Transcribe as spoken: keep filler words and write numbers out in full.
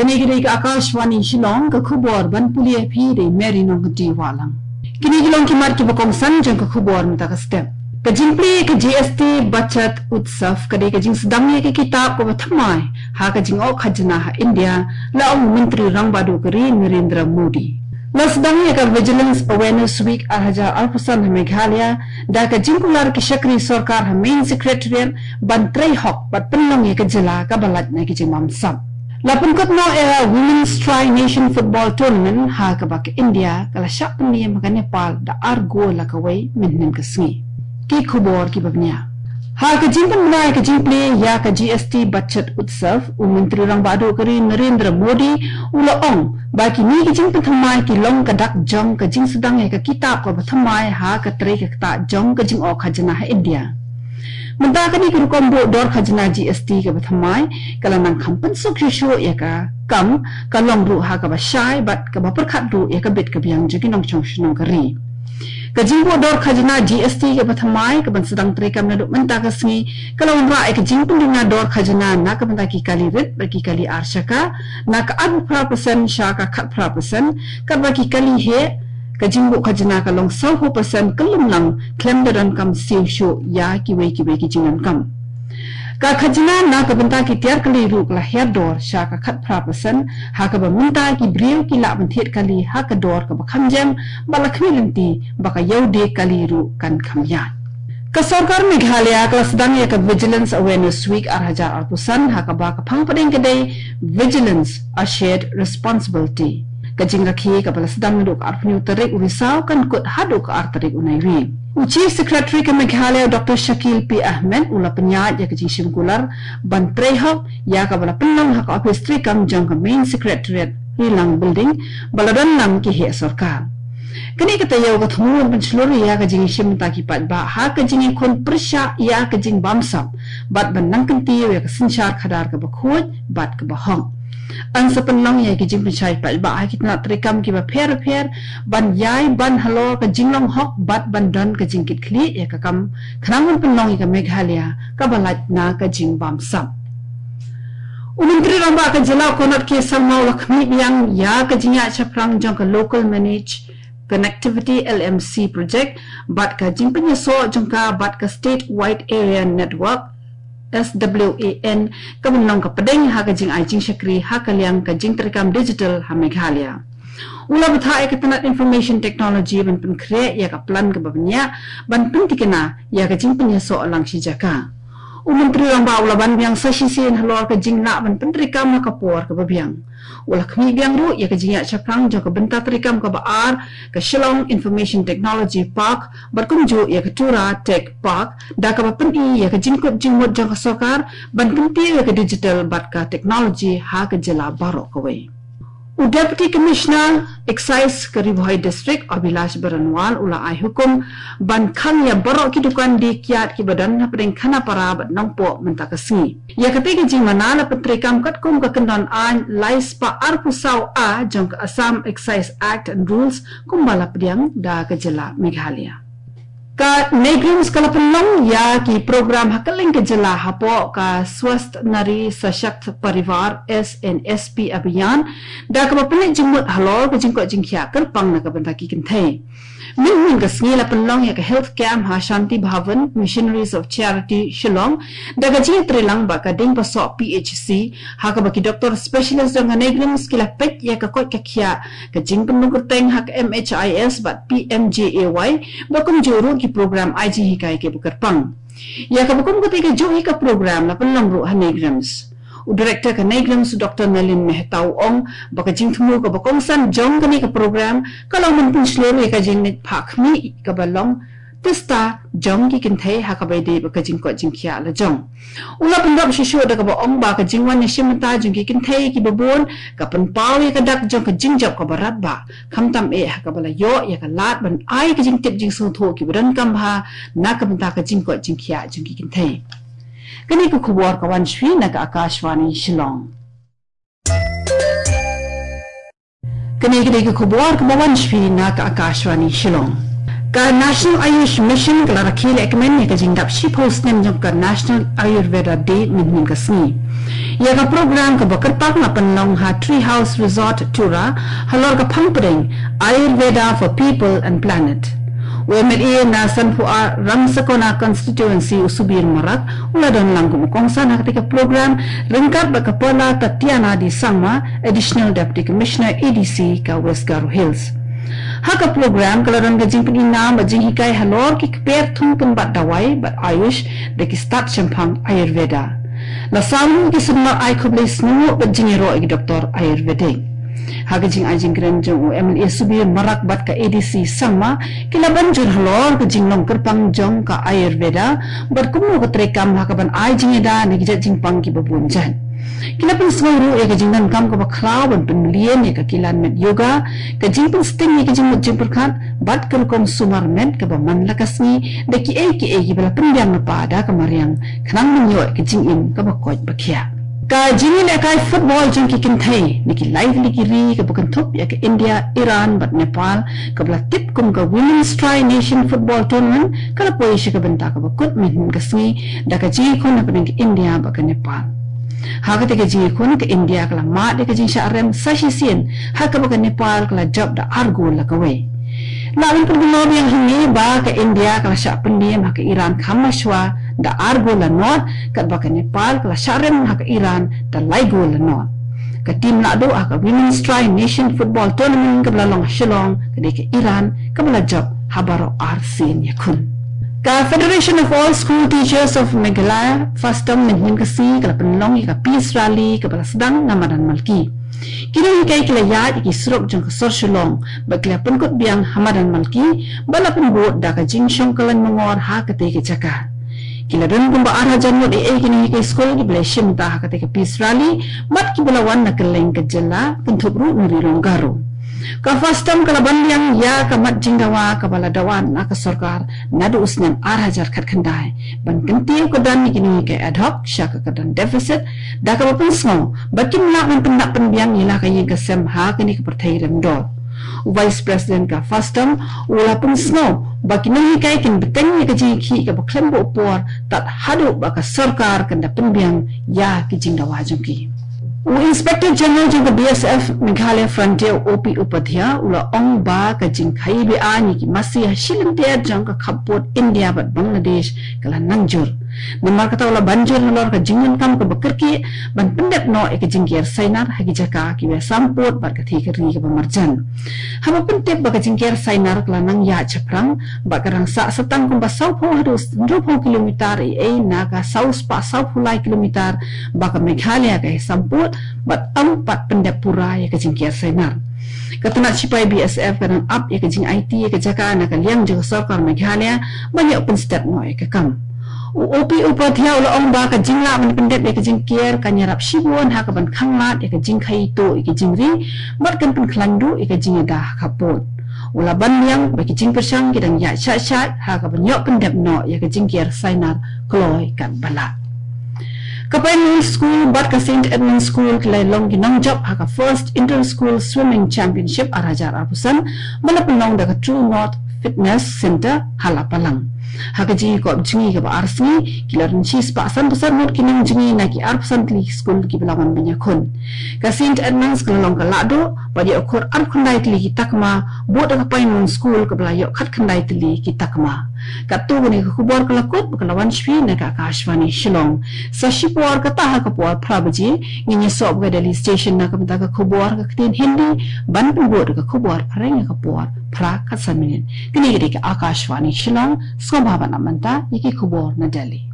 Kane ka dei ka Akashvani Shillong, ka khubor ban pule ïa phi da i Mary Nongkynrih Wahlang. Kine ki long ki mat kiba kongsan jong ka khubor mynta ka step. Ka jingplie ka G S T Bachat Utsav ka dei ka jingsdang ïa ka kitab kaba thymmai ha ka jingok khajna ha India, la ong u Myntri Rangbah Duh ka ri Narendra Modi. La sdang ïa ka Vigilance Awareness Week ar hajar arphew san ha Meghalaya da ka jingkular ki shakri sorkar ha Main Secretariat ban trei hok bad pynlong ïa ka jylla kaba lait na ki jingbamsap. La pynkut noh ïa ka Women's Tri Nation Football Tournament ha kaba ka India ka la shah pynïeng ha ka Nepal da ar gol la kawei mynhynnin ka sngi. Ki khubor kiba bniah. Ha ka jingpynbna ïa ka jingplie ïa ka G S T Bachat Utsav, u Myntri Rangbah Duh ka ri Narendra Modi u la ong ba kine ki jingpynthymmai ki long ka dak jong ka jingsdang ïa ka kitab kaba thymmai ha ka trei ka ktah jong ka jingok khajna ha India. Mynta kane ka rukom buh dor khajna G S T kaba thymmai ka la nang kham pynsuk shuh shuh ïa ka kam, ka long ruh ha kaba shai bad kaba pyrkhat ruh ïa ka bit ka biang jong ki nongshong shnong ka ri. Ka jingbuh dor khajna G S T kaba thymmai kaban sdang treikam naduh mynta ka sngi ka la wanrah ïa ka jingpynduna dor khajna na ka bynta ki kali rit bad ki kali ar shaka na ka arphew phra percent sha ka khatphra percent, katba ki kali heh ka jingbuh khajna ka long sawphew percent kyllum lang khlem da donkam siew shuh ïa kiwei kiwei ki jingdonkam. Ka khajna na ka bynta ki tiar kali ruh ka la hiar dor sha ka khatphra percent, ha kaba mynta ki briew ki lah ban thied kali ha ka dor kaba kham jem, bad la khmih lynti ba ka ïewdieng kali ruh kan kham ïaid. Ka sorkar Meghalaya ka la sdang ïa ka Vigilance Awareness Week ar hajar arphew san ha kaba ka phang pdeng ka dei Vigilance, a Shared Responsibility. Ka jingrakhe kaba la sdang naduh ka arphew hynñiew tarik u Risaw kan kut haduh ka ar tarik u Naiwieng. U Chief Secretary ka Meghalaya, Doctor Shakil P Ahmed, u la pynïaid ïa ka jingshim kular ban trei hok ïa kaba la pynlong ha ka ophis treikam jong ka Main Secretariat, Rilang Building, ba la don lang ki heh sorkar. Kane ka taïew ka thmu ban pynshlur ïa ka jingïashim bynta ki paidbah ha ka jingïakhun pyrshah ïa ka jingbamsap bad ban nang kyntiew ïa ka synshar khadar kaba khuid bad kaba hok. Yn sa pynlong ïa ki jingpynshai paidbah ha ki tnat treikam kiba pher bapher ban ïai ban halor ka jinglong hok bad ban don ka jingkitkhlieh ïa ka kam khnang ban pynlong ïa ka Meghalaya kaba lait na ka jingbamsap. U Myntri Rangbah ka Jylla Conrad K Sangma u la khmih biang ïa ka jingïaid shaphrang jong ka Local Managed Connectivity, L M C, project bad ka jingpynïasoh jong ka bad ka State Wide Area Network, S W A N, kaban long ka pdeng ha ka jingai jingshakri ha ka liang ka jingtreikam digital ha Meghalaya. U la bthah ïa ka tnat Information Technology ban pynkhreh ïa ka plan kaba bniah ban pyntikna ïa ka jingpynïasoh lang shi jaka. U Myntri Rangbah u la ban biang sa shisien halor ka jinglah ban pyntreikam ha ka por kaba biang. U la khmih biang ruh ïa ka jingïaid shaphrang jong ka bynta treikam kaba ar, ka Shillong Information Technology Park, bad kumjuh ïa ka Tura Tech Park, da kaba pyni ïa ka jingkut jingmut jong ka sorkar ban kyntiew ïa ka digital bad ka technology ha ka jylla baroh kawei. U Deputy Commissioner Excise ka Ri Bhoi District, Abhilash Baranwal, u la ai hukum ban khang ïa baroh ki dukan die kiad kiba don hapdeng Khanapara bad Nongpoh mynta ka sngi. Ïa katei ka jingmana la pyntreikam katkum ka kyndon aiñ lai spah arphew saw A jong ka Assam Excise Act and Rules kumba la pdiang da ka jylla Meghalaya. Ka NEIGRIHMS ka la pynlong ïa ki program ha kylleng ka jylla hapoh ka Swasth Nari Sashakt Parivar, S N S P Abhiyan, da kaba pynleit jingmut halor ka jingkoit jingkhiah kyrpang na ka bynta ki kynthei. Mynhynnin ka sngi la pynlong ïa ka health camp ha Shanti Bhavan, Missionaries of Charity, Shillong, da ka jingïatreilang bad ka Diengpasoh P H C, ha kaba ki doktor specialist jong ka NEIGRIHMS ki la peit ïa ka koit ka khiah, ka jingpynlong kyrteng ha ka M H I S bad P M J A Y, bad kumjuh ruh ki program ai jinghikai kiba kyrpang. Ïa kaba kum katei kajuh hi ka program la pynlong ruh ha NEIGRIHMS. U Director ka NEIGRIHMS, Doctor Nalin Mehta, u ong ba ka jingthmu kaba kongsan jong kane ka program ka long ban pynshlur ïa ka jingleit phah khmih kaba long tista jong ki kynthei ha kaba ïadei bad ka jingkoit jingkhiah la jong. U la pynrap shuh shuh da kaba ong ba ka jingwan ïashim bynta jong ki kynthei kiba bun ka pynpaw ïa ka dak jong ka jingjop kaba radbah, khamtam eh ha kaba la ïoh ïa ka lad ban ai ka jingtip jingsngewthuh kiba donkam bha na ka bynta ka jingkoit jingkhiah jong ki kynthei. Kane ka khubor ka wan sha phi na ka Akashvani Shillong. Kane ka dei ka khubor kaba wan sha phi na ka Akashvani Shillong. Ka National Ayush Mission ka la rakhe lehkmen ïa ka jingdap shiphew snem jong ka National Ayurveda Day mynhynnin ka sngi. Ïa ka program kaba kyrpang la pynlong ha Tree House Resort, Tura, halor ka phang pdeng Ayurveda for People and Planet. U M L A na Sanphu Ramsakona Constituency, u Subir Marak, u la don lang kum u kongsan ha katei ka program, ryngkat bad ka Paula Tatiana D Sangma, Additional Deputy Commissioner, A D C, ka West Garo Hills. Ha ka program ka la don ka jingpyni nam bad jinghikai halor ki kper thung kynbat dawai bad Ayush da ki stad shemphang Ayurveda. La saw ki sumar ai khublei sngewnguh bad jingïaroh ïa ki doktor Ayurvedic. Ha ka jingai jingkren jong u M L A Subir Marak bad ka A D C Sangma, ki la ban jur halor ka jinglong kyrpang jong ka Ayurveda bad kumno ka treikam ha kaban ai jingïada na ki jait jingpang kiba bun jait. Ki la pynsngew ruh ïa ka jingdonkam kaba khlaw ban pynmlien ïa ka kilan met yoga, ka jingpynsting ïa ka jingmut jingpyrkhat bad ka rukom sumar met kaba man la ka sngi da kiei kiei kiba la pynbiang lypa da ka mariang, khnang ban ïoh ïa ka jingim kaba koit ba khiah. Ka jingïalehkai football jong ki kynthei na ki lai tylli ki ri kaba kynthup ïa ka India, Iran bad Nepal, kaba la tip kum ka Women's Tri Nation Football Tournament, ka la poi sha ka bynta kaba kut mynhynnin ka sngi da ka jingïakhun hapdeng ka India bad ka Nepal. Ha katei ka jingïakhun, ka India ka la mad ïa ka jingshah rem sa shisien, ha kaba ka Nepal ka la jop da ar gol la kawei. La ban pynbna biang hangne ba ka India ka la shah pyndiam ha ka Iran kham mashwa da ar gol la nod, katba ka Nepal ka la shah rem ha ka Iran da lai gol la nod. Ka tim naduh ha ka Women's Tri Nation Football Tournament kaba la long ha Shillong, ka dei ka Iran kaba la jop ha baroh ar sien ïakhun. Ka Federation of All School Teachers of Meghalaya, FASTOM, mynhynnin ka sngi ka la pynlong ïa ka Peace Rally kaba la sdang na Madan Malki. Ki nonghikai ki la ïaid ïa ki surok jong ka sor Shillong bad ki la pynkut biang ha Madan Malki bad la pynbud da ka jingshong kylleng mongor ha katei ka jaka. Ki la don kumba ar hajar ngut eiei ki nonghikai skul kiba la shim bynta ha katei ka Peace Rally bad kiba la wan na kylleng ka jylla, kynthup ruh na Ri Lum Garo. Ka FASTOM ka la ban biang ïa ka mat jingdawa kaba la dawa na ka sorkar naduh u snem ar hajar khatkhyndai ban kyntiew kyrdan ïa ki nonghikai ad hoc sha ka kyrdan deficit, da kaba pynsngew ba kim lah ban pyndap pynbiang ïa la ka ïing ka sem ha kane ka pyrthei remdor. U Vice President ka FASTOM u la pynsngew ba ki nonghikai kin bteng ïa ka jingïakhih kaba khlem buh por tad haduh ba ka sorkar kan da pynbiang ïa ki jingdawa jong ki. U Inspector General jong ka B S F Meghalaya Frontier, O P Upadhyay, u la ong ba ka jingkhaii be-aiñ ïa ki masi ha shi lynter jong ka khappud India bad Bangladesh ka la nang jur. Namar kata u la ban jur halor ka jingdonkam kaba kyrkieh ban pyndep noh ïa ka jingker sainar ha ki jaka kiba ïasampud bad ka thikri kaba marjan. Haba pyntip ba ka jingker sainar ka la nang ïaid shaphrang bad ka dang sah sa tang kumba sawphew haduh hynriewphew kilometer eiei na ka saw spah sawphew lai kilometer ba ka Meghalaya ka ïasampud bad ym pat pyndep pura ïa ka jingker sainar. Ka tnat shipai B S F ka dang ap ïa ka jingaiti ïa ka jaka na ka liang jong ka sorkar Meghalaya ban ïoh pynstet noh ïa ka kam. U O P Upadhyay u la ong ba ka jinglah ban pyndep ïa ka jingker kan ïarap shibun ha kaban khanglad ïa ka jingkhaii tuh ïa ka jingri bad kan pynkhlaiñ duh ïa ka jingïada ha khappud. U la ban biang ba ki jingpyrshang ki dang ïaid shah shah ha kaban ïoh pyndep noh ïa ka jingker sainar kloi katba lah. Ka Pine School bad ka Saint Edmund School ki la long ki nongjop ha ka First Inter School Swimming Championship ar hajar arphew san ba la pynlong da ka True North Fitness Centre ha Lapalang. Ha ka jingïakop jngi kaba ar sngi ki la rynshi spah san phew san ngut ki nongjngi na ki arphew san tylli ki skul kiba la wan ban ïakhun. Ka Saint Edmund's ka la long ka lahduh bad ïoh khur arphew khyndai tylli ki takma, bud da ka Pine School kaba la ïoh khatkhyndai tylli ki takma. Katto katne ka khubor ka la kut bad ka la wan shaphrang na ka Akashvani Shillong. Sa shipor kata ha ka por phra baje ngin ïasoh bad ka Delhi Station na ka bynta ka khubor ka ktien Hindi ban pynbud ka khubor phareng ha ka por phra khatsan minit. Kane ka dei ka Akashvani Shillong, sngewbha ban ap mynta ïa ki khubor na Delhi.